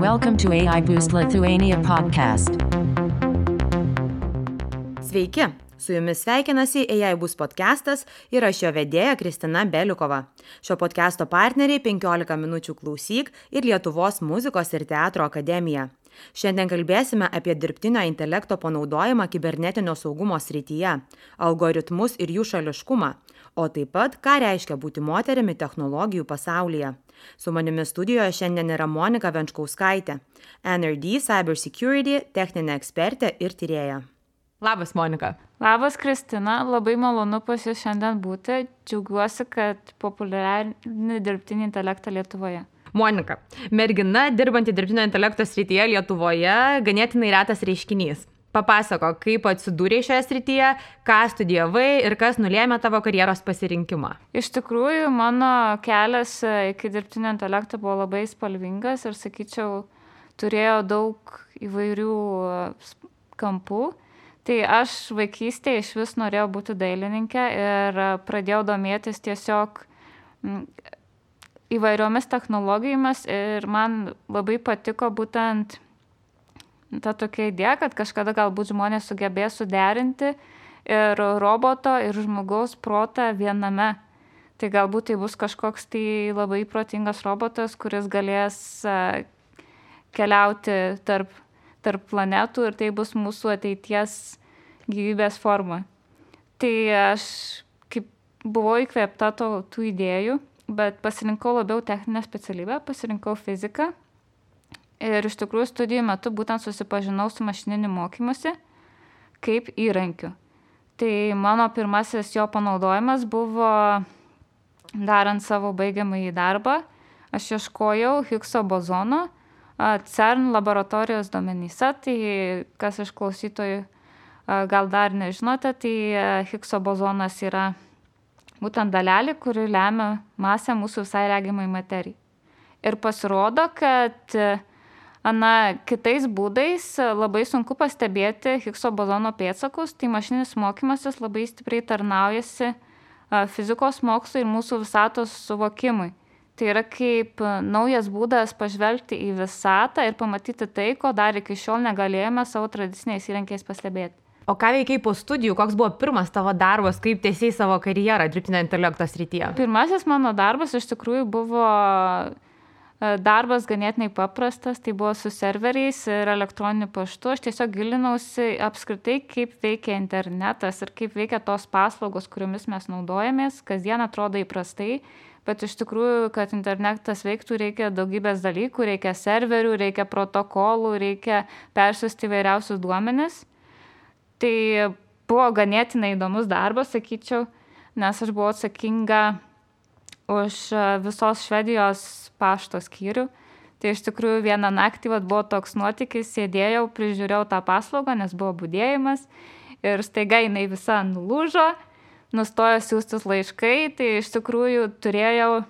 Welcome to AI Boost Lithuania podcast. Sveiki, su jumis sveikinasi AI Boost podcastas ir aš jo vedėja Kristina Beliukova. Šio podcasto partneriai 15 minučių klausyk ir Lietuvos muzikos ir teatro akademija. Šiandien kalbėsime apie dirbtinio intelekto panaudojimą kibernetinio saugumo srityje, algoritmus ir jų šališkumą, o taip pat, ką reiškia būti moterimi technologijų pasaulyje. Su manimi studijoje šiandien yra Monika Venčkauskaitė, NRD Cybersecurity techninė ekspertė ir tyrėja. Labas, Monika. Labas, Kristina. Labai malonu pas jūs šiandien būti. Džiaugiuosi, kad populiarini dirbtinį intelektą Lietuvoje. Monika, mergina dirbanti dirbtinio intelekto srityje Lietuvoje ganėtinai retas reiškinys. Papasako, kaip atsidūrei šioje srityje, ką studijavai ir kas nulėmė tavo karjeros pasirinkimą. Iš tikrųjų, mano kelias iki dirbtinio intelekto buvo labai spalvingas ir, sakyčiau, turėjo daug įvairių kampų. Tai aš vaikystėje iš vis norėjau būti dailininkė ir pradėjau domėtis tiesiog įvairiomis technologijomis ir man labai patiko būtent ta tokia idėja, kad kažkada galbūt žmonės sugebės suderinti ir roboto ir žmogaus protą viename. Tai galbūt tai bus kažkoks tai labai protingas robotas, kuris galės keliauti tarp planetų ir tai bus mūsų ateities gyvybės forma. Tai aš kaip buvau įkvėpta tų idėjų, bet pasirinkau labiau techninę specialybę, pasirinkau fiziką. Ir iš tikrųjų studijų metu būtent susipažinau su mašininiu mokymusi kaip įrankiu. Tai mano pirmasis jo panaudojimas buvo darant savo baigiamąjį darbą. Aš ieškojau Higgso bozono CERN laboratorijos duomenyse. Tai kas iš klausytojų gal dar nežinote, tai Higgso bozonas yra būtent dalelė, kuri lemia masę mūsų visai regimai materijai. Ir pasirodo, kad kitais būdais labai sunku pastebėti Higgso bozono pėdsakus, tai mašininis mokymasis labai stipriai tarnaujasi fizikos mokslui ir mūsų visatos suvokimui. Tai yra kaip naujas būdas pažvelgti į visatą ir pamatyti tai, ko dar iki šiol negalėjome savo tradiciniais įrankiais pastebėti. O ką veikiai po studijų? Koks buvo pirmas tavo darbas, kaip tęsei savo karjerą dirbtinio intelekto srityje? Pirmasis mano darbas iš tikrųjų buvo darbas ganėtinai paprastas, tai buvo su serveriais ir elektroniniu paštu. Aš tiesiog gilinausi apskritai, kaip veikia internetas ir kaip veikia tos paslaugos, kuriomis mes naudojamės. Kasdien atrodo įprastai, bet iš tikrųjų, kad internetas veiktų, reikia daugybės dalykų, reikia serverių, reikia protokolų, reikia persiųsti įvairiausius duomenis. Tai buvo ganėtinai įdomus darbas, sakyčiau, nes aš buvau atsakinga už visos Švedijos pašto skyrių. Tai iš tikrųjų vieną naktį buvo toks nuotykis, sėdėjau, prižiūrėjau tą paslaugą, nes buvo budėjimas ir staiga jinai visa nulūžo, nustojo siųstis laiškai, tai iš tikrųjų turėjau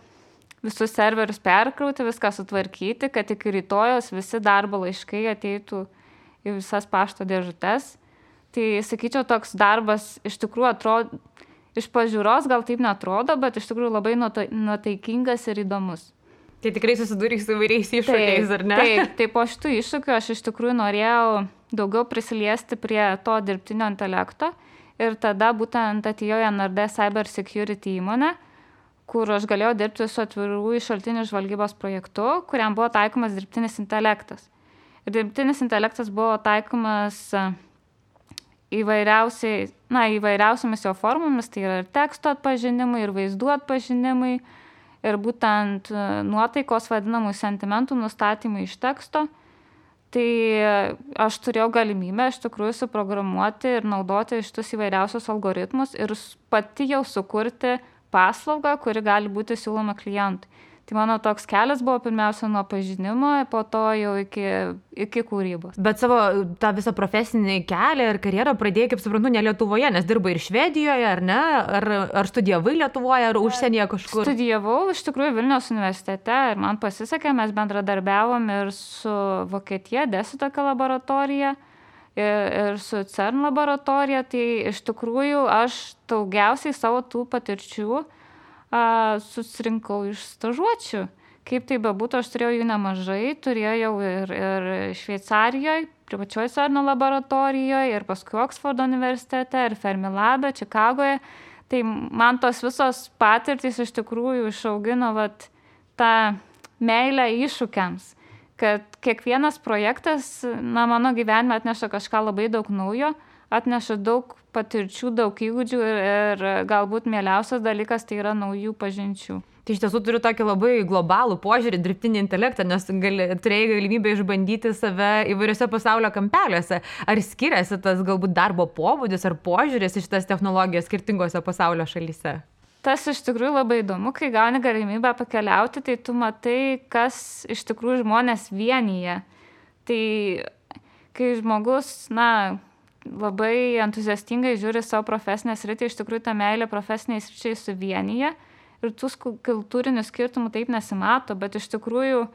visus serverius perkrauti, viską sutvarkyti, kad iki rytojos visi darbo laiškai ateitų į visas pašto dėžutes. Tai, sakyčiau, toks darbas iš tikrųjų atrodo, iš pažiūros gal taip neatrodo, bet iš tikrųjų labai nuotaikingas ir įdomus. Tai tikrai susidūrei su įvairiais iššūkiais, ar ne? Taip, po šitų iššūkių aš iš tikrųjų norėjau daugiau prisiliesti prie to dirbtinio intelekto ir tada būtent atėjau į NRD Cybersecurity įmonę, kur aš galėjau dirbti su atvirųjų šaltinių žvalgybos projektu, kuriam buvo taikomas dirbtinis intelektas. Ir dirbtinis intelektas buvo taikomas įvairiausiamis jo formomis, tai yra ir teksto atpažinimai, ir vaizdų atpažinimai, ir būtent nuotaikos vadinamų sentimentų nustatymai iš teksto. Tai aš turėjau galimybę iš tikrųjų suprogramuoti ir naudoti šitus įvairiausius algoritmus ir pati jau sukurti paslaugą, kuri gali būti siūloma klientui. Tai mano toks kelias buvo pirmiausia nuo pažinimo, po to jau iki kūrybos. Bet savo tą visą profesinį kelią ir karjerą pradėjai, kaip suprantu, ne Lietuvoje, nes dirbai ir Švedijoje, ar ne? Ar studijavai Lietuvoje, ar užsienyje kažkur? Studijavau iš tikrųjų Vilniaus universitete ir man pasisekė, mes bendradarbiavom ir su Vokietija, DESI tokia laboratorija, ir su CERN laboratorija. Tai iš tikrųjų aš daugiausiai savo tų patirčių susirinkau iš stažuočių kaip tai bebūtų, aš turėjau jų nemažai, turėjau ir Šveicarijoje, privačioje CERN laboratorijoje, ir paskui Oksfordo universitete, ir Fermilabe, Čikagoje. Tai man tos visos patirtys iš tikrųjų išaugino tą meilę iššūkiams, kad kiekvienas projektas, mano gyvenime atneša kažką labai daug naujo, atneša daug patirčių, daug įgūdžių ir galbūt mieliausias dalykas tai yra naujų pažinčių. Tai iš tiesų turiu tokį labai globalų požiūrį dirbtinį intelektą, nes turėjai galimybę išbandyti save įvairiose pasaulio kampeliuose. Ar skiriasi tas galbūt darbo pobūdis ar požiūris iš tas technologijas skirtingose pasaulio šalyse? Tas iš tikrųjų labai įdomu, kai gauni galimybę pakeliauti, tai tu matai, kas iš tikrųjų žmonės vienyje. Tai kai žmogus, labai entuziastingai žiūri savo profesinę sritį, iš tikrųjų ta meilė profesiniai sričiai suvienyje ir tų kultūrinių skirtumų taip nesimato, bet iš tikrųjų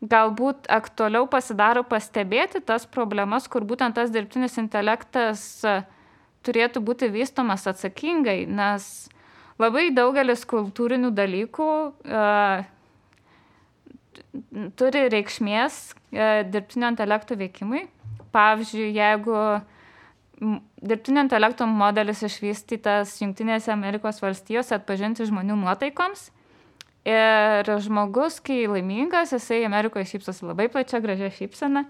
galbūt aktualiau pasidaro pastebėti tas problemas, kur būtent tas dirbtinis intelektas turėtų būti vystomas atsakingai, nes labai daugelis kultūrinių dalykų turi reikšmės dirbtinio intelekto veikimui. Pavyzdžiui, jeigu dirbtinio intelekto modelis išvystytas Jungtinėse Amerikos valstijose atpažinti žmonių nuotaikoms. Ir žmogus, kai laimingas, jisai Amerikoje šypsosi labai plačia, gražia šypsena.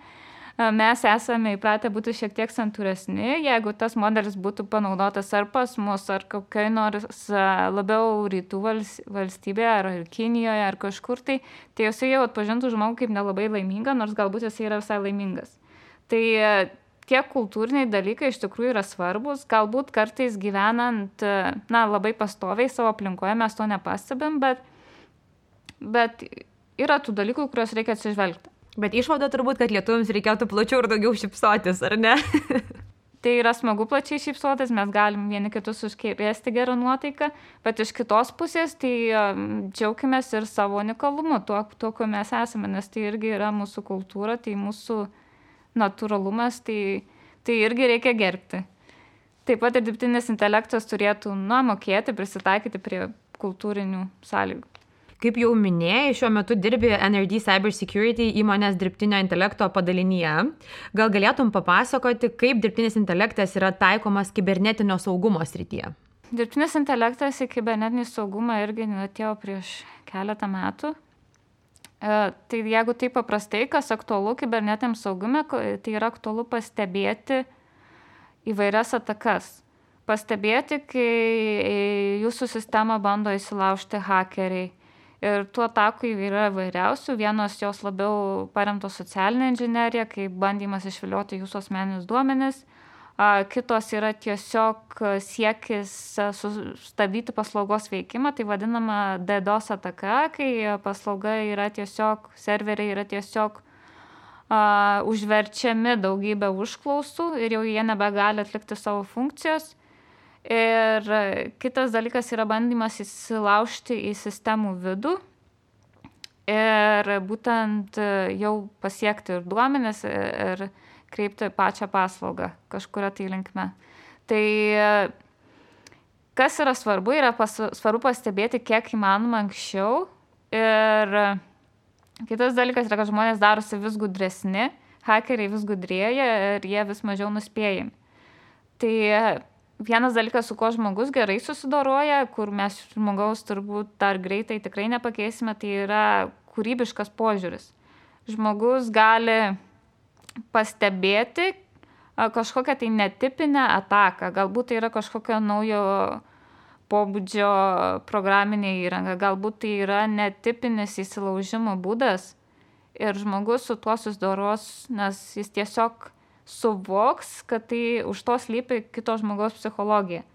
Mes esame įpratę būti šiek tiek santūresni. Jeigu tas modelis būtų panaudotas ar pas mus, ar kokiai nors labiau rytų valstybėje, ar Kinijoje, ar kažkur, tai jisai jau atpažintų žmogų kaip nelabai laimingą, nors galbūt jisai yra visai laimingas. Tai tie kultūriniai dalykai iš tikrųjų yra svarbus, galbūt kartais gyvenant, labai pastoviai savo aplinkoje mes to nepastebim, bet yra tų dalykų, kuriuos reikia atsižvelgti. Bet išvada turbūt, kad lietuviams reikėtų plačiau ir daugiau šypsotis, ar ne? Tai yra smagu plačiai šypsotis, mes galim vieni kitus užkrėsti gerą nuotaiką, bet iš kitos pusės tai džiaukimės ir savo unikalumu, tuo, ko mes esame, nes tai irgi yra mūsų kultūra, tai mūsų natūralumas, tai irgi reikia gerbti. Taip pat ir dirbtinis intelektas turėtų mokėti prisitaikyti prie kultūrinių sąlygų. Kaip jau minėjai, šiuo metu dirbi NRD Cybersecurity įmonės dirbtinio intelekto padalinyje. Gal galėtum papasakoti, kaip dirbtinis intelektas yra taikomas kibernetinio saugumo srityje? Dirbtinis intelektas į kibernetinį saugumą irgi atėjo prieš keletą metų. Tai jeigu taip paprastai, kas aktualu kibernetiniam saugume, tai yra aktualu pastebėti įvairias atakas. Pastebėti, kai jūsų sistemą bando įsilaužti hakeriai. Ir tų atakų yra įvairiausių. Vienos jos labiau paremtos socialinė inžinerija, kaip bandymas išvilioti jūsų asmeninius duomenis. Kitos yra tiesiog siekis sustabdyti paslaugos veikimą, tai vadinama DDoS ataka, kai paslauga yra tiesiog, serveriai yra tiesiog užverčiami daugybę užklausų ir jau jie nebegali atlikti savo funkcijos. Ir kitas dalykas yra bandymas įsilaužti į sistemų vidų ir būtent jau pasiekti ir duomenis ir kreipti pačią paslaugą kažkuria tai linkme. Tai kas yra svarbu pastebėti kiek įmanoma anksčiau. Ir kitas dalykas yra, kad žmonės darosi vis gudresni, hakeriai vis gudrėja ir jie vis mažiau nuspėjami. Tai vienas dalykas, su kuo žmogus gerai susidoroja, kur mes žmogaus turbūt dar greitai tikrai nepakeisime, tai yra kūrybiškas požiūris. Žmogus gali pastebėti kažkokią tai netipinę ataką. Galbūt tai yra kažkokio naujo pobūdžio programinė įranga, galbūt tai yra netipinis įsilaužimo būdas ir žmogus su tuo susidoros, nes jis tiesiog suvoks, kad tai už to slypi kito žmogaus psichologija.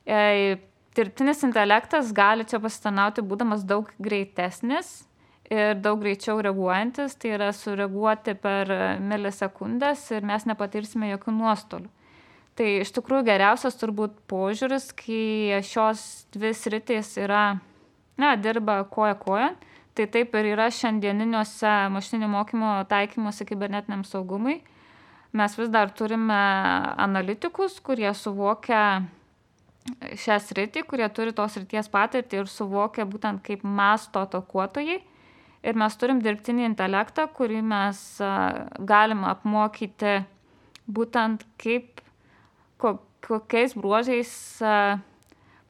Dirbtinis intelektas gali čia pasitarnauti būdamas daug greitesnis ir daug greičiau reaguojantis, tai yra sureaguoti per milisekundės ir mes nepatirsime jokių nuostolių. Tai iš tikrųjų geriausias turbūt požiūris, kai šios dvi sritys dirba koja kojon, tai taip ir yra šiandieniniuose mašininio mokymo taikymuose kibernetiniam saugumui. Mes vis dar turime analitikus, kurie suvokia šią sritį, kurie turi tos srities patirtį ir suvokia būtent kaip masto atakuotojai. ir mes turim dirbtinį intelektą, kurį mes galim apmokyti būtent kokiais bruožais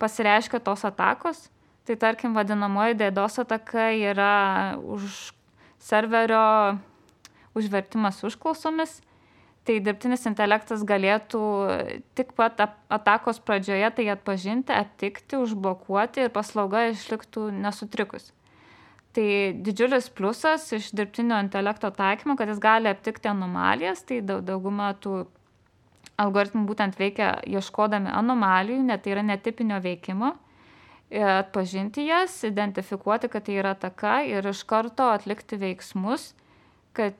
pasireiškia tos atakos. Tai tarkim, vadinamoji DDoS ataka yra serverio užvertimas užklausomis. Tai dirbtinis intelektas galėtų tik pat atakos pradžioje tai atpažinti, aptikti, užblokuoti ir paslauga išliktų nesutrikus. Tai didžiulis pliusas iš dirbtinio intelekto taikymo, kad jis gali aptikti anomalijas, tai dauguma tų algoritmų būtent veikia ieškodami anomalijų, net tai yra netipinio veikimo, atpažinti jas, identifikuoti, kad tai yra ataka ir iš karto atlikti veiksmus, kad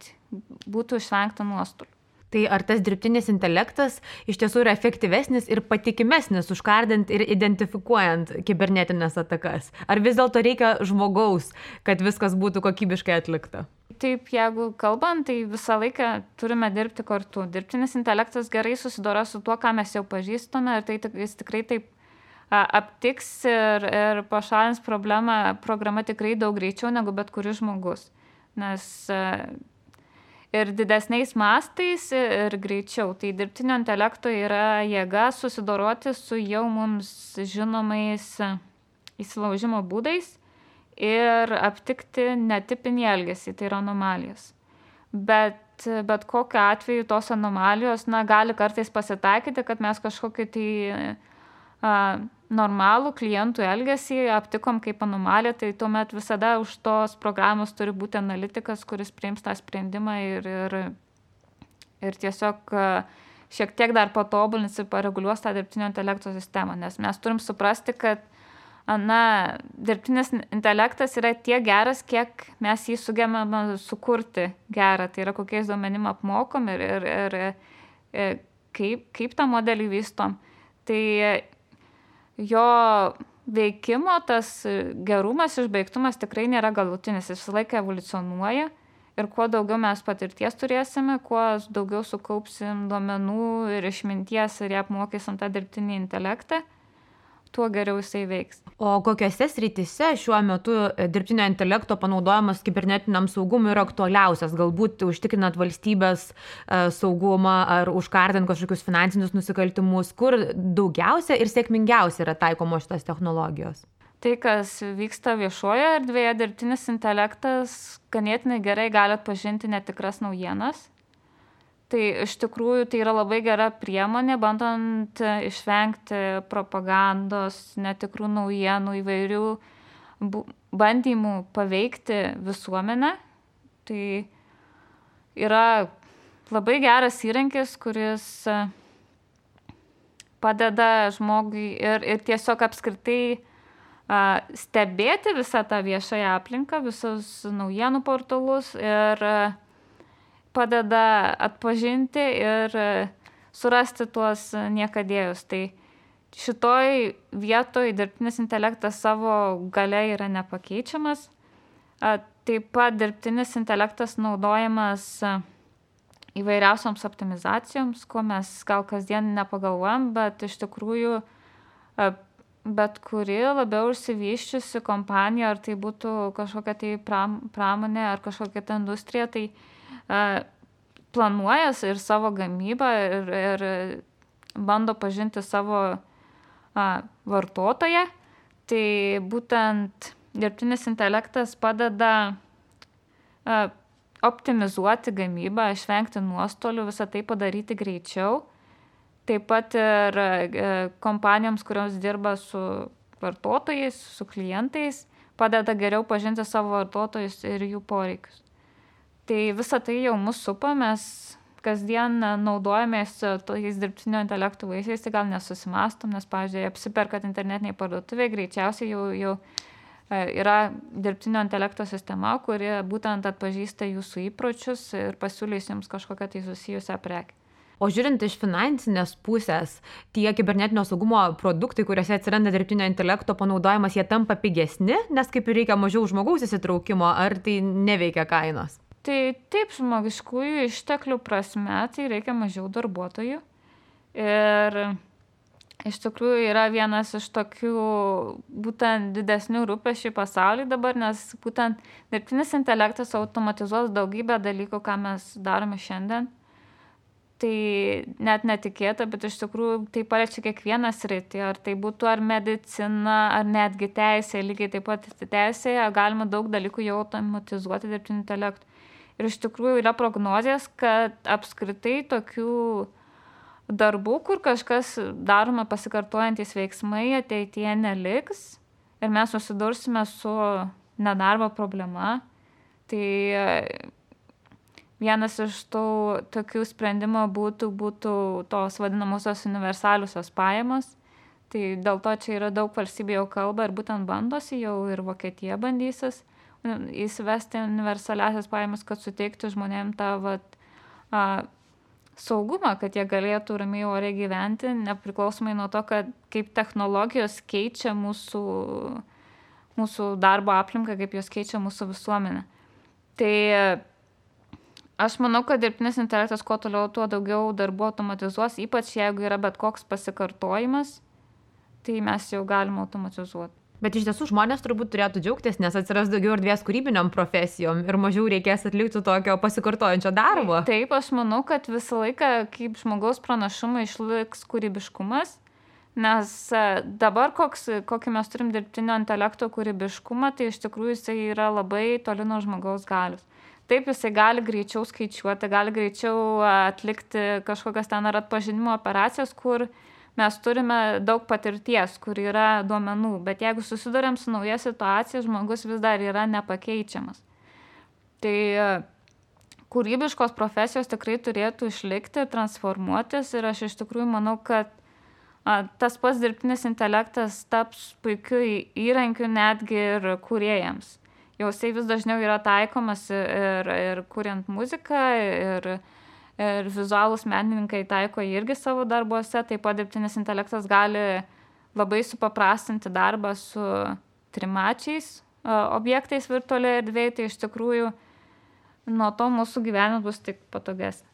būtų išvengta nuostolių. Tai ar tas dirbtinis intelektas iš tiesų yra efektyvesnis ir patikimesnis užkardant ir identifikuojant kibernetinės atakas? Ar vis dėlto reikia žmogaus, kad viskas būtų kokybiškai atlikta? Taip, jeigu kalbant, tai visą laiką turime dirbti kartu. Dirbtinis intelektas gerai susidora su tuo, ką mes jau pažįstame ir tai jis tikrai taip aptiks ir pašalins problemą, programa tikrai daug greičiau negu bet kuris žmogus. Nes ir didesniais mastais ir greičiau. Tai dirbtinio intelekto yra jėga susidoroti su jau mums žinomais įsilaužimo būdais ir aptikti netipinį elgesį, tai yra anomalijas. Bet kokiu atveju tos anomalijos gali kartais pasitaikyti, kad mes kažkokį tai normalų klientų elgesį aptikom kaip anomaliją, tai tuomet visada už tos programos turi būti analitikas, kuris priims tą sprendimą ir tiesiog šiek tiek dar patobulins ir pareguliuos tą dirbtinio intelekto sistemą, nes mes turim suprasti, kad dirbtinis intelektas yra tiek geras, kiek mes jį sugebame sukurti gerą, tai yra kokiais duomenim apmokom ir kaip tą modelį vystom. Tai jo veikimo tas gerumas, išbaigtumas tikrai nėra galutinis, jis visą laiką evoliucionuoja ir kuo daugiau mes patirties turėsime, kuo daugiau sukaupsim duomenų ir išminties ir apmokysim tą dirbtinį intelektą, tuo geriau jisai veiks. O kokiose srityse šiuo metu dirbtinio intelekto panaudojimas kibernetiniam saugumui yra aktualiausias? Galbūt užtikrinant valstybės saugumą ar užkardant kažkokius finansinius nusikaltimus, kur daugiausia ir sėkmingiausia yra taikomos šitas technologijos? Tai, kas vyksta viešoje erdvėje, dirbtinis intelektas ganėtinai gerai gali atpažinti netikras naujienas. Tai iš tikrųjų tai yra labai gera priemonė, bandant išvengti propagandos, netikrų naujienų, įvairių bandymų paveikti visuomenę. Tai yra labai geras įrankis, kuris padeda žmogui ir tiesiog apskritai stebėti visą tą viešąją aplinką, visus naujienų portalus ir padeda atpažinti ir surasti tuos niekadėjus. Tai šitoj vietoj dirbtinis intelektas savo galia yra nepakeičiamas. Taip pat dirbtinis intelektas naudojamas įvairiausioms optimizacijoms, ko mes gal kasdien nepagalvojam, bet iš tikrųjų bet kuri labiau išsivysčiusi kompanija, ar tai būtų kažkokia tai pramonė ar kažkokia ta industrija, tai planuoja ir savo gamybą ir bando pažinti savo vartotoją. Tai būtent dirbtinis intelektas padeda optimizuoti gamybą, išvengti nuostolių, visą tai padaryti greičiau. Taip pat ir kompanijoms, kurios dirba su vartotojais, su klientais, padeda geriau pažinti savo vartotojus ir jų poreikius. Tai visą tai jau mus supa, mes kasdien naudojamės tais dirbtinio intelektų vaisiais, tai gal nesusimastom, nes, pavyzdžiui, apsiperkat internetiniai parduotuvėje, greičiausiai jau yra dirbtinio intelekto sistema, kuri būtent atpažįsta jūsų įpročius ir pasiūlys jums kažkokią tai susijusią prekę. O žiūrint iš finansinės pusės, tie kibernetinio saugumo produktai, kuriuose atsiranda dirbtinio intelekto panaudojimas, jie tampa pigesni, nes kaip ir reikia mažiau žmogaus įsitraukimo, ar tai neveikia kainos? Tai taip, žmogiškųjų išteklių prasme, tai reikia mažiau darbuotojų. Ir iš tikrųjų yra vienas iš tokių būtent didesnių rūpesčių pasaulyje dabar, nes būtent dirbtinis intelektas automatizuos daugybę dalykų, ką mes darome šiandien. Tai net netikėta, bet iš tikrųjų tai paliečia kiekvieną sritį, ar tai būtų ar medicina, ar netgi teisė, lygiai taip pat teisėje galima daug dalykų jau automatizuoti dirbtiniu intelektu. Ir iš tikrųjų yra prognozijas, kad apskritai tokių darbų, kur kažkas daroma pasikartojantys veiksmai, ateityje neliks ir mes susidursime su nedarbo problema. Tai vienas iš tų tokių sprendimų būtų tos vadinamosios universaliusios pajamos. Tai dėl to čia yra daug valstybių jau kalba ir būtent bandosi, jau ir Vokietija bandysis įsivesti universaliasias pajamas, kad suteikti žmonėms tą saugumą, kad jie galėtų ramiai oriai gyventi, nepriklausomai nuo to, kad kaip technologijos keičia mūsų darbo aplinką, kaip jos keičia mūsų visuomenę. Tai aš manau, kad dirbtinis intelektas kuo toliau, tuo daugiau darbų automatizuos, ypač jeigu yra bet koks pasikartojimas, tai mes jau galime automatizuoti. Bet iš tiesų žmonės turbūt turėtų džiaugtis, nes atsiras daugiau erdvės kūrybiniam profesijom ir mažiau reikės atlikti tokio pasikartojančio darbo. Taip, aš manau, kad visą laiką kaip žmogaus pranašumą išliks kūrybiškumas, nes dabar kokį mes turim dirbtinio intelekto kūrybiškumą, tai iš tikrųjų jisai yra labai toli nuo žmogaus galios. Taip, jisai gali greičiau skaičiuoti, gali greičiau atlikti kažkokias ten ar atpažinimo operacijas, kur mes turime daug patirties, kur yra duomenų, bet jeigu susiduriam su nauja situacija, žmogus vis dar yra nepakeičiamas. Tai kūrybiškos profesijos tikrai turėtų išlikti, transformuotis ir aš iš tikrųjų manau, kad tas pats dirbtinis intelektas taps puikiu įrankiu netgi ir kūrėjams. Jau jisai vis dažniau yra taikomas ir kuriant muziką, ir vizualūs menininkai taiko irgi savo darbuose, taip pat dirbtinis intelektas gali labai supaprastinti darbą su trimačiais objektais virtualioje erdvėje, tai iš tikrųjų nuo to mūsų gyvenimas bus tik patogesnis.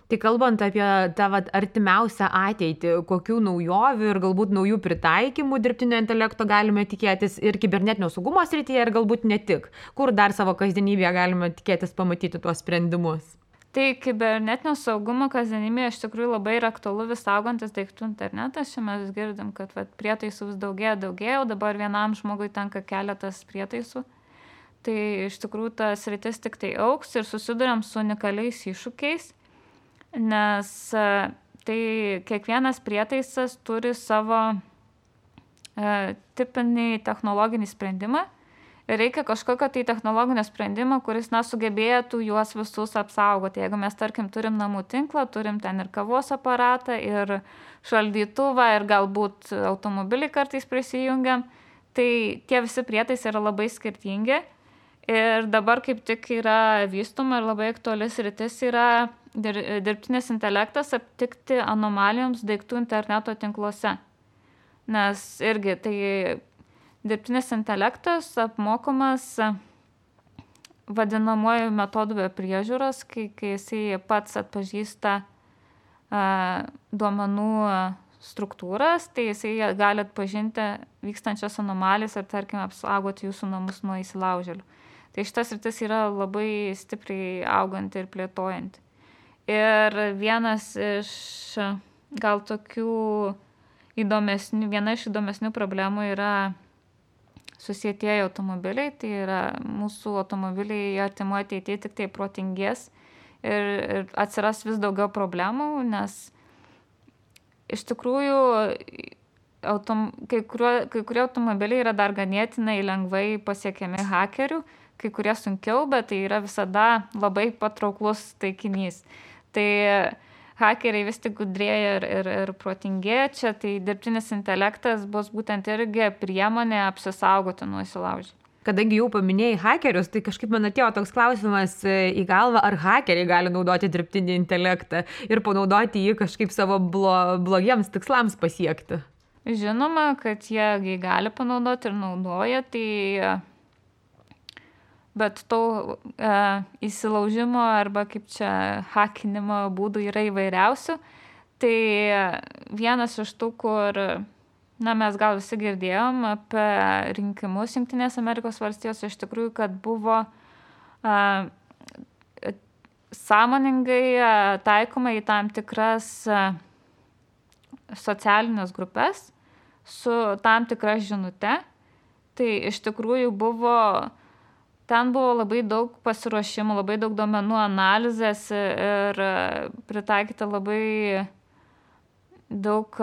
Tai kalbant apie tą artimiausią ateitį, kokių naujovių ir galbūt naujų pritaikymų dirbtinio intelekto galime tikėtis ir kibernetinio saugumo srityje, ir galbūt ne tik, kur dar savo kasdienybėje galime tikėtis pamatyti tuos sprendimus? Tai kibernetinio saugumo kasdienybėje iš tikrųjų labai yra aktualu vis augantis daiktų internetas. Čia mes girdim, kad prietaisų vis daugėja, o dabar vienam žmogui tenka keletas prietaisų. Tai iš tikrųjų tas sritis tik tai augs ir susiduriam su unikaliais iššūkiais, nes tai kiekvienas prietaisas turi savo tipinį technologinį sprendimą. Reikia kažkokio tai technologinio sprendimo, kuris sugebėtų juos visus apsaugoti. Jeigu mes, tarkim, turim namų tinklą, turim ten ir kavos aparatą, ir šaldytuvą, ir galbūt automobilį kartais prisijungiam, tai tie visi prietaisai yra labai skirtingi. Ir dabar kaip tik yra vystoma ir labai aktuali sritis yra dirbtinis intelektas aptikti anomalijoms daiktų interneto tinkluose. Nes irgi tai dirbtinis intelektas apmokomas vadinamuoju metodu be priežiūros, kai jisai pats atpažįsta duomenų struktūras, tai jisai gali atpažinti vykstančias anomalijas ir, tarkim, apsaugoti jūsų namus nuo įsilaužėlių. Tai šitas sritis yra labai stipriai auganti ir plėtojanti. Ir vienas iš gal tokių viena iš įdomesnių problemų yra susietieji automobiliai, tai yra mūsų automobiliai artimoje ateityje tik tai protingės ir atsiras vis daugiau problemų, nes iš tikrųjų kai kurie automobiliai yra dar ganėtinai lengvai pasiekiami hakerių, kai kurie sunkiau, bet tai yra visada labai patrauklus taikinys. Tai hakeriai vis tik gudrėja ir protingėja čia, tai dirbtinis intelektas bus būtent irgi priemonė apsisaugoti nuo įsilaužėlių. Kadangi jau paminėjai hakerius, tai kažkaip man atėjo toks klausimas į galvą, ar hakeriai gali naudoti dirbtinį intelektą ir panaudoti jį kažkaip savo blogiems tikslams pasiekti. Žinoma, kad jie gali panaudoti ir naudoja, tai bet to įsilaužimo arba kaip čia hakinimo būdų yra įvairiausių. Tai vienas iš tų, kur, mes gal visi girdėjom apie rinkimus Jungtinės Amerikos valstijos, iš tikrųjų, kad buvo sąmoningai taikoma į tam tikras socialinės grupės su tam tikra žinute. Tai iš tikrųjų ten buvo labai daug pasiruošimų, labai daug duomenų analizės ir pritaikyta labai daug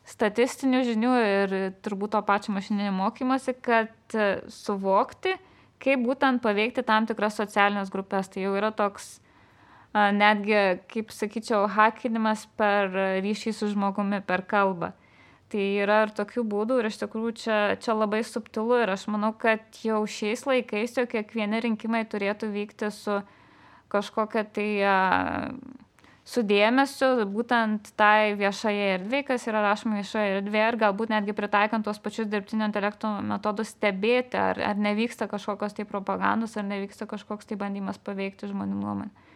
statistinių žinių ir turbūt to pačio mašininio mokymosi, kad suvokti, kaip būtent paveikti tam tikras socialinės grupės. Tai jau yra toks netgi, kaip sakyčiau, hakinimas per ryšį su žmogumi, per kalbą. Tai yra ir tokių būdų ir iš tikrųjų čia labai subtilu ir aš manau, kad jau šiais laikais jau kiekvieni rinkimai turėtų vykti su kažkokia tai su dėmesiu būtent tai viešoje erdvėje, kas yra rašoma viešoje erdvėje ir galbūt netgi pritaikant tuos pačius dirbtinio intelekto metodus stebėti, ar nevyksta kažkokios tai propagandos, ar nevyksta kažkoks tai bandymas paveikti žmonių nuomonę.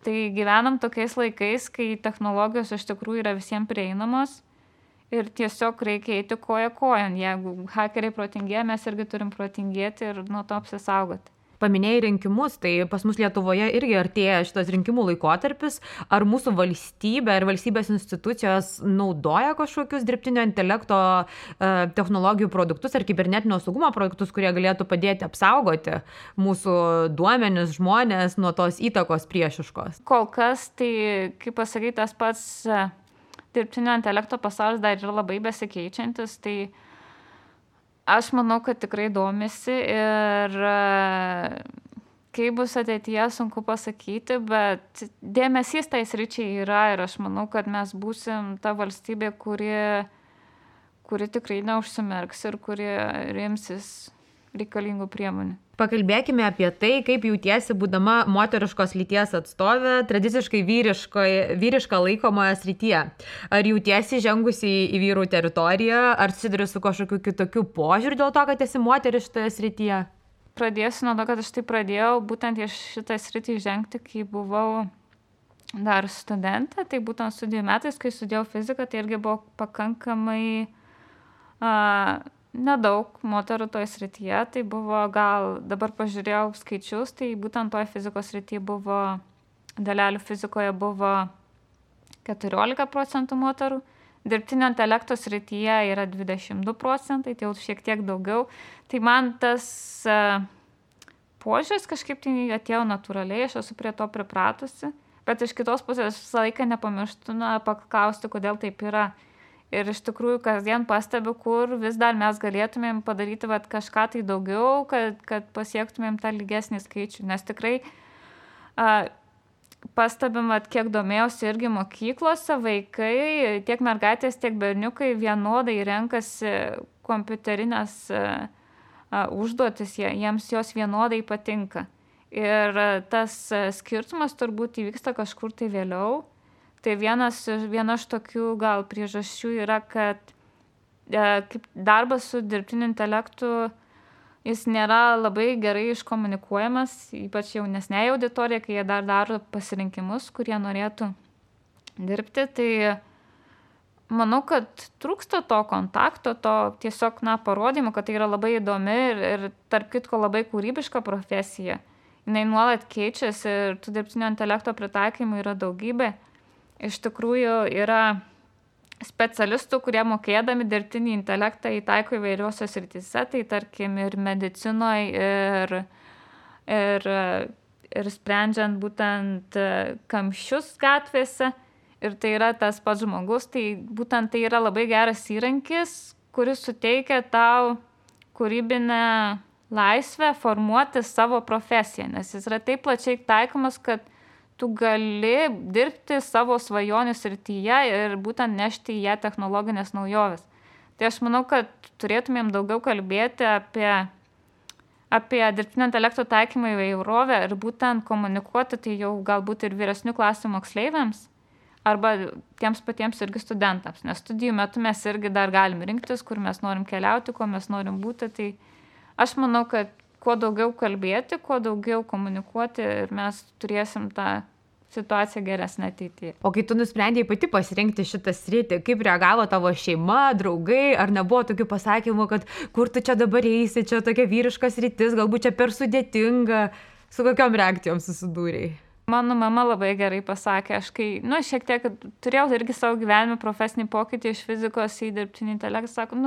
Tai gyvenam tokiais laikais, kai technologijos iš tikrųjų yra visiems prieinamos ir tiesiog reikia eiti koja kojon. Jeigu hakeriai protingėja, mes irgi turim protingėti ir nuo to apsisaugoti. Paminėjai rinkimus, tai pas mus Lietuvoje irgi artėja šitas rinkimų laikotarpis. Ar mūsų valstybė ir valstybės institucijos naudoja kažkokius dirbtinio intelekto technologijų produktus ar kibernetinio saugumo produktus, kurie galėtų padėti apsaugoti mūsų duomenis, žmonės nuo tos įtakos priešiškos? Kol kas, tai, kaip pasakyti, tas pats dirbtinio intelekto pasaulis dar yra labai besikeičiantis, tai aš manau, kad tikrai domisi ir kaip bus ateityje, sunku pasakyti, bet dėmesys tai sričiai yra ir aš manau, kad mes būsim ta valstybė, kuri tikrai neužsimerks ir kuri rimsis reikalingų priemonių. Pakalbėkime apie tai, kaip jautiesi būdama moteriškos lyties atstovė, tradiciškai vyriška laikomoje srityje. Ar jautiesi žengusi į vyrų teritoriją, ar susiduri su kažkokiu kitokiu požiūriu dėl to, kad esi moteris šitoje srityje? Pradėsiu nuo to, kad aš tai pradėjau būtent iš šitą sritį žengti, kai buvau dar studentė, tai būtent studijų metais, kai studijau fiziką, tai irgi buvo pakankamai nedaug moterų toje srityje, tai buvo gal, dabar pažiūrėjau skaičius, tai būtent toje fizikos srityje buvo, dalelių fizikoje buvo 14% moterų, dirbtinio intelekto srityje yra 22%, tai jau šiek tiek daugiau. Tai man tas požiūris kažkaip tai atėjo natūraliai, aš esu prie to pripratusi, bet iš kitos pusės visą laiką nepamirštu paklausti, kodėl taip yra. Ir iš tikrųjų kasdien pastebiu, kur vis dar mes galėtumėm padaryti kažką tai daugiau, kad pasiektumėm tą lygesnį skaičių. Nes tikrai pastebim, kiek domėjausi irgi mokyklose, vaikai, tiek mergaitės, tiek berniukai vienodai renkasi kompiuterinės užduotis, jiems jos vienodai patinka. Ir tas skirtumas turbūt įvyksta kažkur tai vėliau. Tai viena iš tokių gal priežasčių yra, kad kaip darbas su dirbtiniu intelektu, jis nėra labai gerai iškomunikuojamas, ypač jaunesnėje auditorijoje, kai jie dar daro pasirinkimus, kurie norėtų dirbti. Tai manau, kad trūksta to kontakto, to tiesiog parodymų, kad tai yra labai įdomi ir tarp kitko labai kūrybiška profesija. Jinai nuolat keičiasi ir tų dirbtinio intelekto pritaikymų yra daugybė. Iš tikrųjų yra specialistų, kurie mokėdami dirbtinį intelektą įtaiko įvairiuose srityse, tai tarkim ir medicinoje, ir sprendžiant būtent kamščius gatvėse. Ir tai yra tas pats žmogus, tai būtent tai yra labai geras įrankis, kuris suteikia tau kūrybinę laisvę formuoti savo profesiją, nes jis yra taip plačiai taikomas, kad tu gali dirbti savo svajonių srityje ir būtent nešti į ją technologinės naujoves. Tai aš manau, kad turėtumėm daugiau kalbėti apie dirbtinio intelekto taikymą įvairovę ir būtent komunikuoti tai jau galbūt ir vyresnių klasių moksleiviams arba tiems patiems irgi studentams. Nes studijų metu mes irgi dar galim rinktis, kur mes norim keliauti, kuo mes norim būti. Tai aš manau, kad kuo daugiau kalbėti, kuo daugiau komunikuoti ir mes turėsim tą situacija geresnė ateityje. O kai tu nusprendėjai pati pasirinkti šitą sritį, kaip reagavo tavo šeima, draugai, ar nebuvo tokių pasakymų, kad kur tu čia dabar eisi, čia tokia vyriška sritis, galbūt čia per sudėtinga, su kokiom reakcijom susidūrėjai? Mano mama labai gerai pasakė, aš kai, šiek tiek turėjau irgi savo gyvenime profesinį pokytį iš fizikos į dirbtinį intelektą, sako,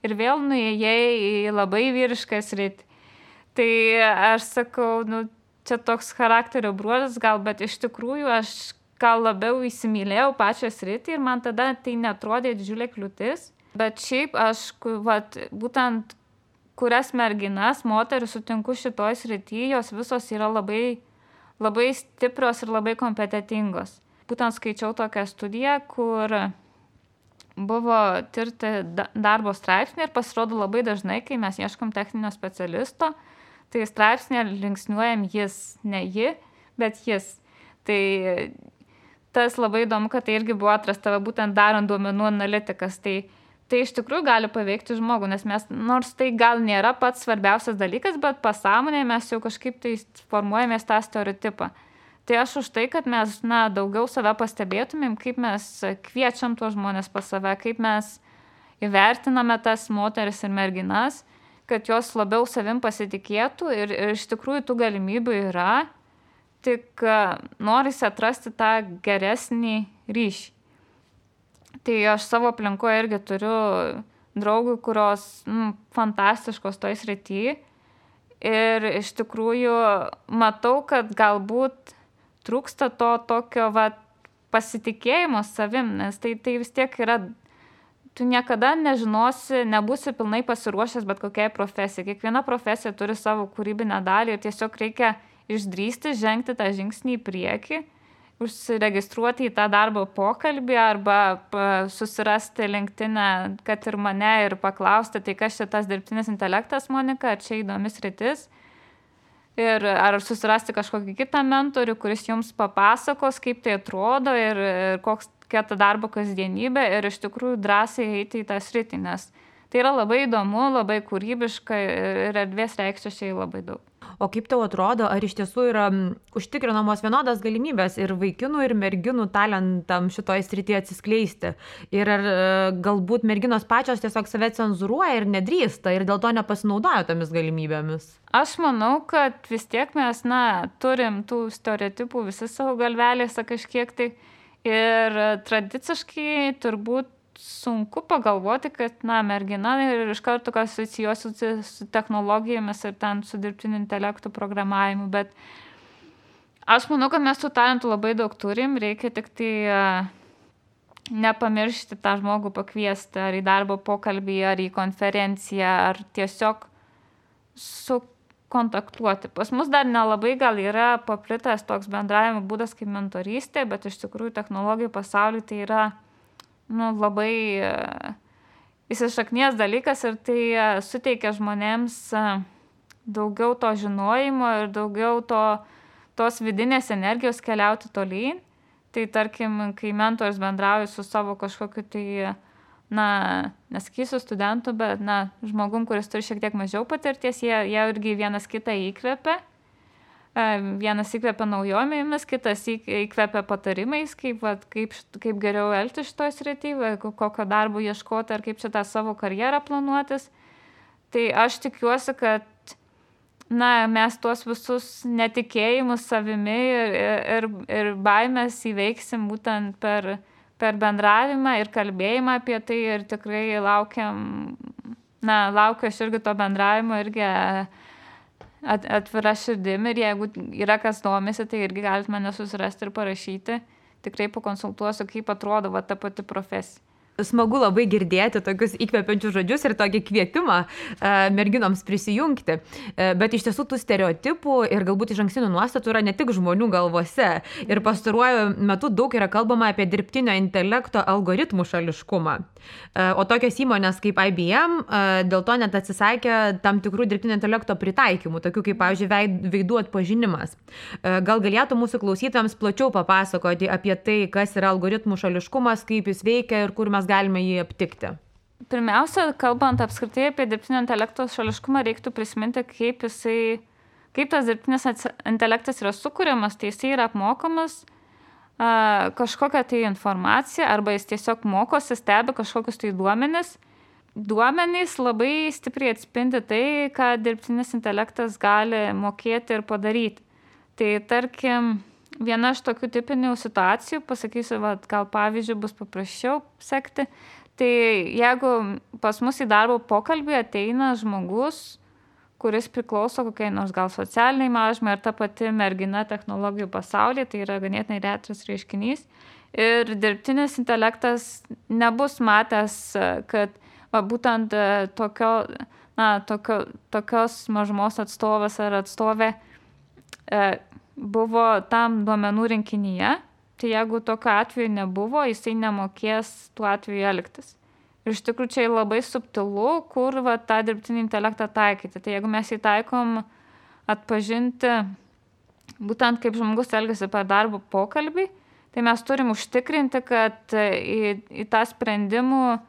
ir vėl nuėjai į labai vyrišką sritį. Tai aš sakau, čia toks charakterio bruožas gal, bet iš tikrųjų aš gal labiau įsimylėjau pačią sritį ir man tada tai netrodė didžiulė kliūtis. Bet šiaip aš, būtent kurias merginas, moteris sutinku šitoj srity, jos visos yra labai, labai stiprios ir labai kompetentingos. Būtent skaičiau tokią studiją, kur buvo tirti darbo straipsnį ir pasirodo labai dažnai, kai mes ieškom techninio specialisto, tai straipsnė linksniuojam jis, ne ji, bet jis. Tai tas labai įdomu, kad tai irgi buvo atrasta būtent darant duomenų analitikas. Tai iš tikrųjų gali paveikti žmogų, nes mes, nors tai gal nėra pats svarbiausias dalykas, bet pasąmonėje mes jau kažkaip tai formuojamės tą stereotipą. Tai aš už tai, kad mes daugiau save pastebėtumėm, kaip mes kviečiam tuos žmonės pas save, kaip mes įvertiname tas moteris ir merginas, kad jos labiau savim pasitikėtų ir iš tikrųjų tų galimybių yra, tik norisi atrasti tą geresnį ryšį. Tai aš savo aplinkoje irgi turiu draugų, kurios fantastiškos toj srity ir iš tikrųjų matau, kad galbūt trūksta to tokio pasitikėjimo savim, nes tai vis tiek yra, tu niekada nežinosi, nebūsi pilnai pasiruošęs bet kokiai profesijai. Kiekviena profesija turi savo kūrybinę dalį ir tiesiog reikia išdrįsti, žengti tą žingsnį į priekį, užsiregistruoti į tą darbo pokalbį arba susirasti LinkedIn'e, kad ir mane ir paklausti, tai kas čia tas dirbtinis intelektas, Monika, ar čia įdomi sritis. Ir ar susirasti kažkokį kitą mentorių, kuris jums papasakos, kaip tai atrodo ir kokia ta darbo kasdienybė ir iš tikrųjų drąsiai eiti į tą sritį, nes tai yra labai įdomu, labai kūrybiška ir erdvės reikščiai labai daug. O kaip tau atrodo, ar iš tiesų yra užtikrinamos vienodas galimybės ir vaikinų, ir merginų talentam šitoj srityje atsiskleisti? Ir ar galbūt merginos pačios tiesiog save cenzūruoja ir nedrįsta ir dėl to nepasinaudoja tomis galimybėmis? Aš manau, kad vis tiek mes, turim tų stereotipų visi savo galvelėse kažkiek tai ir tradiciškai turbūt sunku pagalvoti, kad, mergina ir iš karto asocijuosi su technologijomis ir ten su dirbtiniu intelektu programavimu, bet aš manau, kad mes tų talentų labai daug turim, reikia tik tai nepamiršti tą žmogų pakviesti ar į darbo pokalbį, ar į konferenciją, ar tiesiog sukontaktuoti. Pas mus dar nelabai gal yra paplitęs toks bendravimo būdas kaip mentorystė, bet iš tikrųjų technologijų pasaulyje tai yra labai įsišaknijęs dalykas ir tai suteikia žmonėms daugiau to žinojimo ir daugiau tos vidinės energijos keliauti tolyn. Tai tarkim, kai mentorius bendrauja su savo kažkokiu tai, nesakysiu studentu, bet žmogum, kuris turi šiek tiek mažiau patirties, jie irgi vienas kitą įkvepia. Vienas įkvepia naujomėmis, kitas įkvepia patarimais, kaip geriau elgtis šitoj srityje, kokio darbo ieškoti ar kaip šitą savo karjerą planuotis. Tai aš tikiuosi, kad mes tuos visus netikėjimus savimi ir baimės įveiksim būtent per bendravimą ir kalbėjimą apie tai ir tikrai laukiu aš irgi to bendravimo irgi atvira širdim ir jeigu yra kas domisi, tai irgi galite mane susirasti ir parašyti. Tikrai pakonsultuosiu, kaip atrodo ta pati profesija. Smagu labai girdėti tokius įkvepiančius žodžius ir tokį kvietimą merginoms prisijungti. Bet iš tiesų tų stereotipų ir galbūt išankstinių nuostatų yra ne tik žmonių galvose. Ir pastaruoju metu daug yra kalbama apie dirbtinio intelekto algoritmų šališkumą. O tokios įmonės kaip IBM dėl to net atsisakė tam tikrų dirbtinio intelekto pritaikymų, tokių kaip, pavyzdžiui, veidų atpažinimas. Gal galėtų mūsų klausytojams plačiau papasakoti apie tai, kas yra algoritmų šališkumas, kaip jis veikia ir kur mes galime jį aptikti? Pirmiausia, kalbant apskritai apie dirbtinio intelekto šališkumą, reiktų prisiminti, kaip tas dirbtinis intelektas yra sukuriamas, tai jisai yra apmokamas kažkokią tai informaciją arba jis tiesiog mokosi, stebi kažkokius tai duomenis. Duomenys labai stipriai atspindi tai, ką dirbtinis intelektas gali mokėti ir padaryti. Tai tarkim, viena iš tokių tipinių situacijų, pasakysiu, gal pavyzdžiui bus paprasčiau sekti, tai jeigu pas mus į darbo pokalbį ateina žmogus, kuris priklauso kokiai nors gal socialiniai mažumai ar ta pati mergina technologijų pasaulyje, tai yra ganėtinai retas reiškinys. Ir dirbtinis intelektas nebus matęs, kad būtent tokios mažumos atstovas ar atstovė buvo tam duomenų rinkinyje, tai jeigu tokio atveju nebuvo, jisai nemokės tuo atveju elgtis. Ir iš tikrųjų čia labai subtilu, kur tą dirbtinį intelektą taikyti. Tai jeigu mes įtaikom atpažinti būtent kaip žmogus elgiasi per darbo pokalbį, tai mes turim užtikrinti, kad į tą sprendimų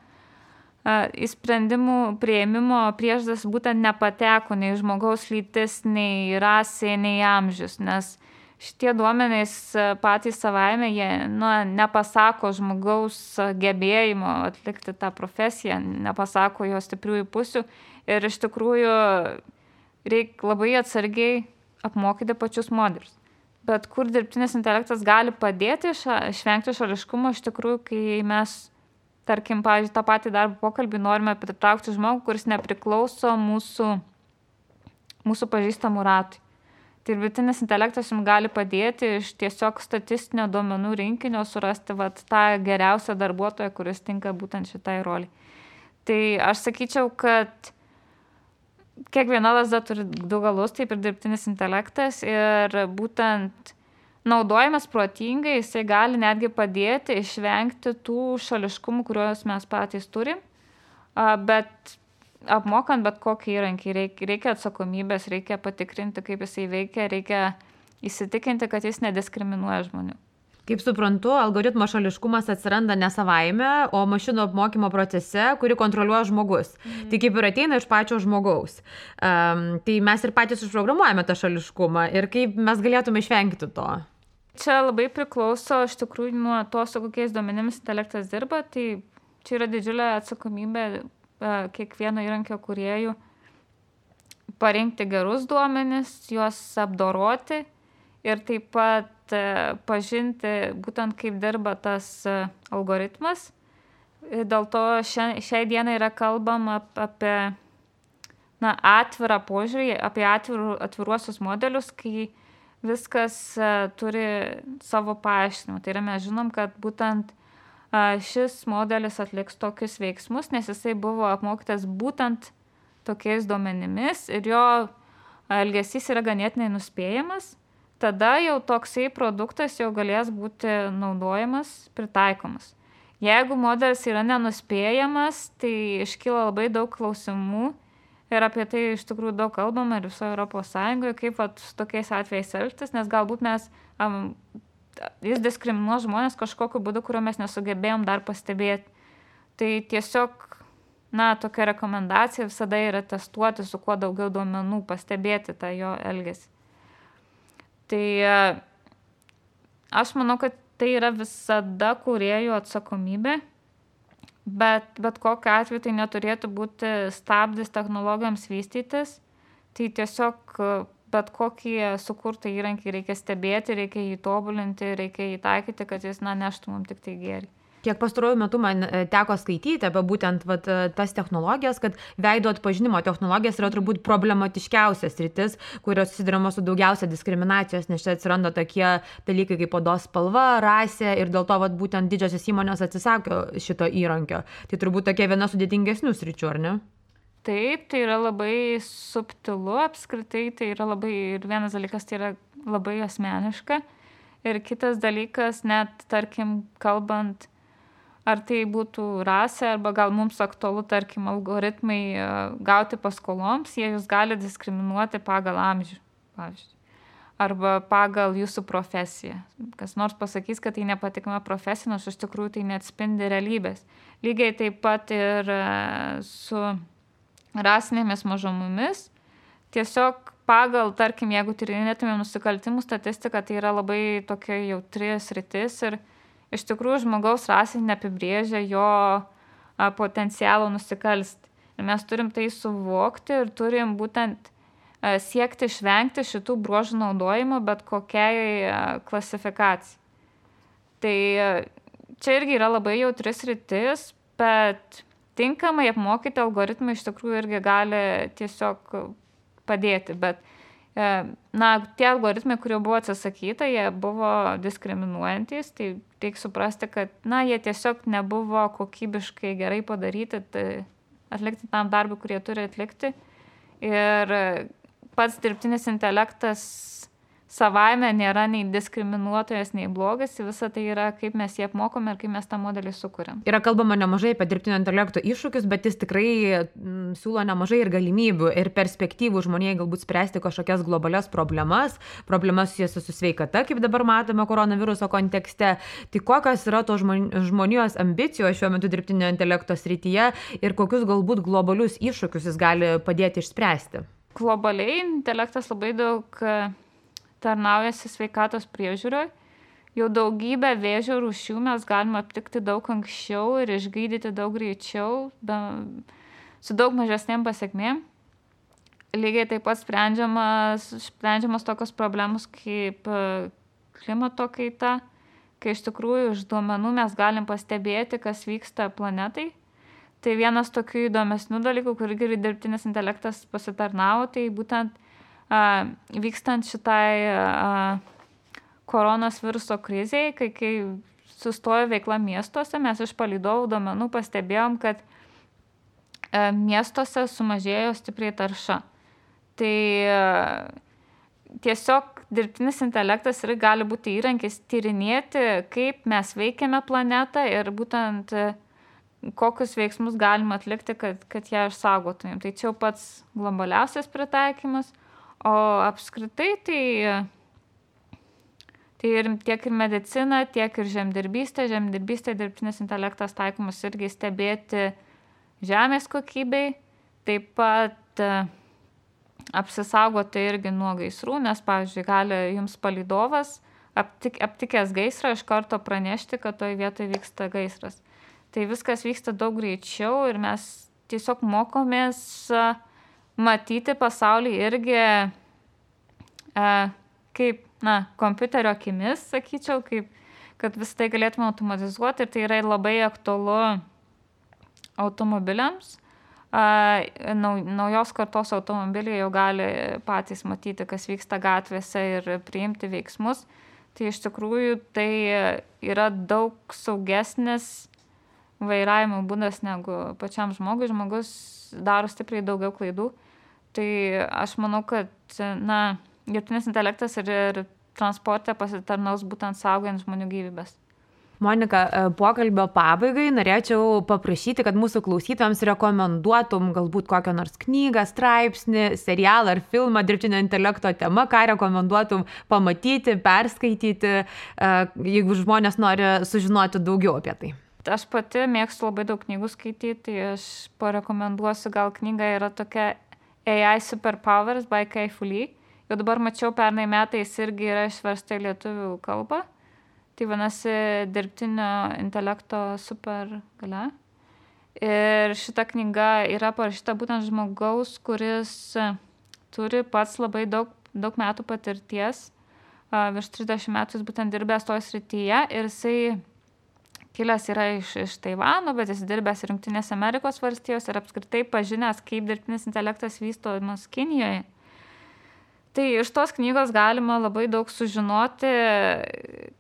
priėmimo priežastis būtent nepateko nei žmogaus lytis, nei rasė, nei amžius, nes šitie duomenys patys savaime, jie nepasako žmogaus gebėjimo atlikti tą profesiją, nepasako jo stipriųjų pusių ir iš tikrųjų reikia labai atsargiai apmokyti pačius modelius. Bet kur dirbtinis intelektas gali padėti išvengti šališkumo, iš tikrųjų, kai mes, tarkim, pavyzdžiui, tą patį darbo pokalbį norime pritraukti žmogų, kuris nepriklauso mūsų pažįstamų ratui. Tai dirbtinis intelektas jums gali padėti iš tiesiog statistinio duomenų rinkinio surasti tą geriausią darbuotoją, kuris tinka būtent šitai roliai. Tai aš sakyčiau, kad kiekviena lazda turi du galus, taip ir dirbtinis intelektas ir būtent naudojimas protingai, jisai gali netgi padėti išvengti tų šališkumų, kuriuos mes patys turim, bet apmokant bet kokį įrankį, reikia atsakomybės, reikia patikrinti, kaip jisai veikia, reikia įsitikinti, kad jis nediskriminuoja žmonių. Kaip suprantu, algoritmo šališkumas atsiranda ne savaime, o mašinų apmokymo procese, kurį kontroliuoja žmogus. Tai kaip ir ateina iš pačio žmogaus. Tai mes ir patys užprogramuojame tą šališkumą ir kaip mes galėtume išvengti to. Čia labai priklauso iš tikrųjų nuo to, su kokiais duomenimis intelektas dirba, tai čia yra didžiulė atsakomybė kiekvieno įrankio kūrėjų parinkti gerus duomenis, juos apdoroti ir taip pat pažinti būtent kaip dirba tas algoritmas. Dėl to šiai dienai yra kalbama apie atvirą požiūrį, apie atviruosius modelius, kai viskas turi savo paaiškinimą. Tai yra mes žinom, kad būtent šis modelis atliks tokius veiksmus, nes jisai buvo apmokytas būtent tokiais duomenimis ir jo elgesys yra ganėtinai nuspėjamas, tada jau toksai produktas jau galės būti naudojamas, pritaikomas. Jeigu modelis yra nenuspėjamas, tai iškyla labai daug klausimų ir apie tai iš tikrųjų daug kalbama ir visoje Europos Sąjungoje, kaip su tokiais atvejais elgtis, nes galbūt jis diskriminuos žmonės kažkokiu būdu, kurio mes nesugebėjom dar pastebėti. Tai tiesiog, tokia rekomendacija visada yra testuoti su kuo daugiau duomenų, pastebėti tą jo elgesį. Tai aš manau, kad tai yra visada kūrėjų atsakomybė, bet kokiu atveju tai neturėtų būti stabdis technologijoms vystytis, tai tiesiog bet kokį sukurtą įrankį reikia stebėti, reikia jį tobulinti, reikia jį taikyti, kad jis neštų mums tik tai gėrį. Kiek pastaruoju metu man teko skaityti apie būtent tas technologijas, kad veido atpažinimo technologijas yra turbūt problematiškiausias sritis, kurios susiduriama su daugiausia diskriminacijos, nes čia atsiranda tokie dalykai kaip odos spalva, rasė ir dėl to būtent didžiosios įmonės atsisako šito įrankio. Tai turbūt tokia viena sudėtingesnių sričių, ar ne? Taip, tai yra labai subtilu apskritai, tai yra labai, ir vienas dalykas tai yra labai asmeniška, ir kitas dalykas, net, tarkim, kalbant, ar tai būtų rasė, arba gal mums aktualu, tarkim, algoritmai gauti paskoloms, jie jūs gali diskriminuoti pagal amžių, pavyzdžiui, arba pagal jūsų profesiją. Kas nors pasakys, kad tai nepatikima profesija, nors iš tikrųjų tai neatspindi realybės. Lygiai taip pat ir su rasinėmis mažumomis. Tiesiog pagal, tarkim, jeigu tyrinėtumėm nusikaltimų statistiką, tai yra labai tokia jautri sritis ir iš tikrųjų žmogaus rasė neapibrėžia jo potencialo nusikalsti. Ir mes turim tai suvokti ir turim būtent siekti išvengti šitų bruožų naudojimo bet kokiai klasifikacijai. Tai čia irgi yra labai jautris sritis, bet tinkamai apmokyti algoritmai iš tikrųjų irgi gali tiesiog padėti. Bet tie algoritmai, kurie buvo atsisakyta, jie buvo diskriminuojantys, tai reikia suprasti, kad jie tiesiog nebuvo kokybiškai gerai padaryti, atlikti tam darbui, kurie turi atlikti. Ir pats dirbtinis intelektas savaime nėra nei diskriminuotojas, nei blogas, visa tai yra, kaip mes jį apmokome ir kaip mes tą modelį sukuriam. Yra kalbama nemažai apie dirbtinio intelekto iššūkius, bet jis tikrai siūlo nemažai ir galimybių ir perspektyvų žmonijai galbūt spręsti kažkokias globalias problemas susijęs su sveikata, kaip dabar matome koronaviruso kontekste. Tai kokios yra to žmonijos ambicijos šiuo metu dirbtinio intelekto srityje ir kokius galbūt globalius iššūkius jis gali padėti išspręsti? Globaliai intelektas labai daug tarnaujasi sveikatos priežiūroje. Jau daugybę vėžio rūšių mes galime aptikti daug anksčiau ir išgydyti daug greičiau, su daug mažesnėm pasekmėm. Lygiai taip pat sprendžiamas tokios problemos kaip klimato kaita, kai iš tikrųjų iš duomenų mes galim pastebėti, kas vyksta planetai. Tai vienas tokių įdomesnių dalykų, kur irgi dirbtinis intelektas pasitarnavo, tai būtent vykstant šitai koronos viruso krizei, kai sustojo veikla miestuose, mes iš palydovų duomenų pastebėjom, kad miestuose sumažėjo stipriai tarša. Tai tiesiog dirbtinis intelektas ir gali būti įrankis tyrinėti, kaip mes veikiame planetą ir būtent kokius veiksmus galime atlikti, kad ją išsaugotumėm. Tai čia jau pats globaliausias pritaikymas. O apskritai tai ir tiek ir medicina, tiek ir žemdirbystė. Žemdirbystė dirbtinis intelektas taikomas irgi stebėti žemės kokybei. Taip pat apsisaugoti irgi nuo gaisrų, nes, pavyzdžiui, gali jums palydovas aptikęs gaisrą iš karto pranešti, kad toj vietoje vyksta gaisras. Tai viskas vyksta daug greičiau ir mes tiesiog mokomės matyti pasaulį irgi kaip, kompiuterio akimis, sakyčiau, kad visą tai galėtume automatizuoti ir tai yra labai aktualu automobiliams. Naujos kartos automobiliai jau gali patys matyti, kas vyksta gatvėse ir priimti veiksmus. Tai iš tikrųjų tai yra daug saugesnis vairavimo būdas negu pačiam žmogui. Žmogus daro stipriai daugiau klaidų. Tai aš manau, kad dirbtinis intelektas ir transporte pasitarnaus būtent saugant žmonių gyvybės. Monika, pokalbio pabaigai norėčiau paprašyti, kad mūsų klausytojams rekomenduotum galbūt kokią nors knygą, straipsnį, serialą ar filmą dirbtinio intelekto tema, ką rekomenduotum pamatyti, perskaityti, jeigu žmonės nori sužinoti daugiau apie tai. Aš pati mėgstu labai daug knygų skaityti, tai aš parekomenduosiu, gal knyga yra tokia AI Superpowers by Kai Fu Lee. Jau dabar mačiau, pernai metais irgi yra išversta į lietuvių kalbą. Tai vadinasi dirbtinio intelekto supergalia. Ir šita knyga yra parašyta būtent žmogaus, kuris turi pats labai daug metų patirties. Virš 30 metų jis būtent dirbęs toje srityje ir jisai kilęs yra iš Taivano, bet jis dirbęs ir Jungtinėse Amerikos valstijos ir apskritai pažinęs, kaip dirbtinis intelektas vystomas Kinijoje. Tai iš tos knygos galima labai daug sužinoti,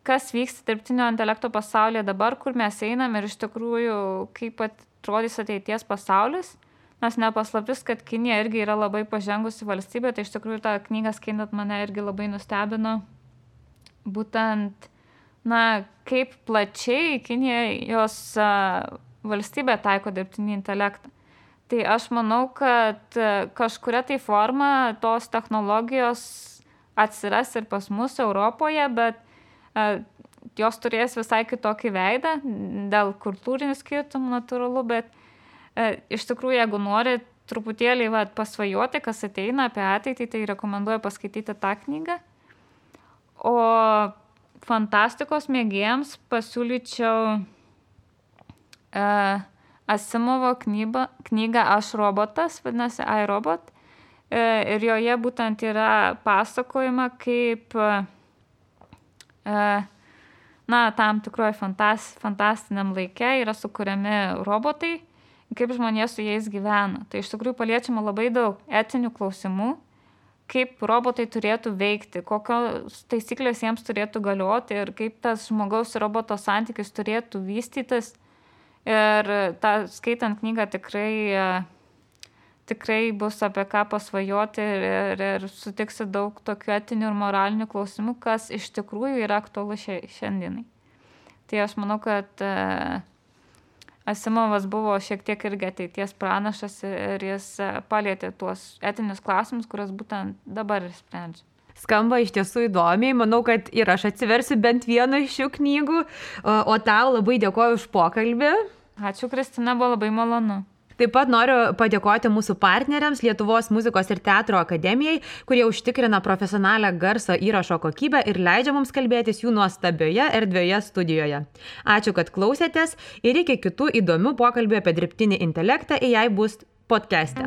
kas vyksta dirbtinio intelekto pasaulyje dabar, kur mes einam ir iš tikrųjų, kaip atrodys ateities pasaulis. Nes nepaslaptis, kad Kinija irgi yra labai pažengusi valstybė, tai iš tikrųjų tą knygą skaitant mane irgi labai nustebino. Būtent, kaip plačiai Kinija jos valstybė taiko dirbtinį intelektą. Tai aš manau, kad kažkuria tai forma tos technologijos atsiras ir pas mus Europoje, bet jos turės visai kitokį veidą, dėl kultūrinių skirtumų natūralu, bet iš tikrųjų, jeigu norit truputėlį pasvajoti, kas ateina apie ateitį, tai rekomenduoju paskaityti tą knygą. O fantastikos mėgėjams pasiūlyčiau Asimovo knygą Aš robotas, vadinasi iRobot. Ir joje būtent yra pasakojama, kaip tam tikroje fantastiniam laike yra sukuriami robotai, kaip žmonės su jais gyvena. Tai iš tikrųjų paliečiama labai daug etinių klausimų, kaip robotai turėtų veikti, kokios taisyklės jiems turėtų galioti ir kaip tas žmogaus ir roboto santykis turėtų vystytis. Ir skaitant knygą tikrai bus apie ką pasvajoti ir sutiksi daug tokių etinių ir moralinių klausimų, kas iš tikrųjų yra aktualu šiandienai. Tai aš manau, kad Asimovas buvo šiek tiek irgi ateities pranašas ir jis palietė tuos etinius klausimus, kuriuos būtent dabar ir sprendžia. Skamba iš tiesų įdomiai, manau, kad ir aš atsiversiu bent vieną iš šių knygų, o tau labai dėkoju už pokalbį. Ačiū, Kristina, buvo labai malonu. Taip pat noriu padėkoti mūsų partneriams Lietuvos muzikos ir teatro akademijai, kurie užtikrina profesionalią garso įrašo kokybę ir leidžia mums kalbėtis jų nuostabioje erdvioje studijoje. Ačiū, kad klausėtės ir iki kitų įdomių pokalbių apie dirbtinį intelektą AI Boost podcast'e.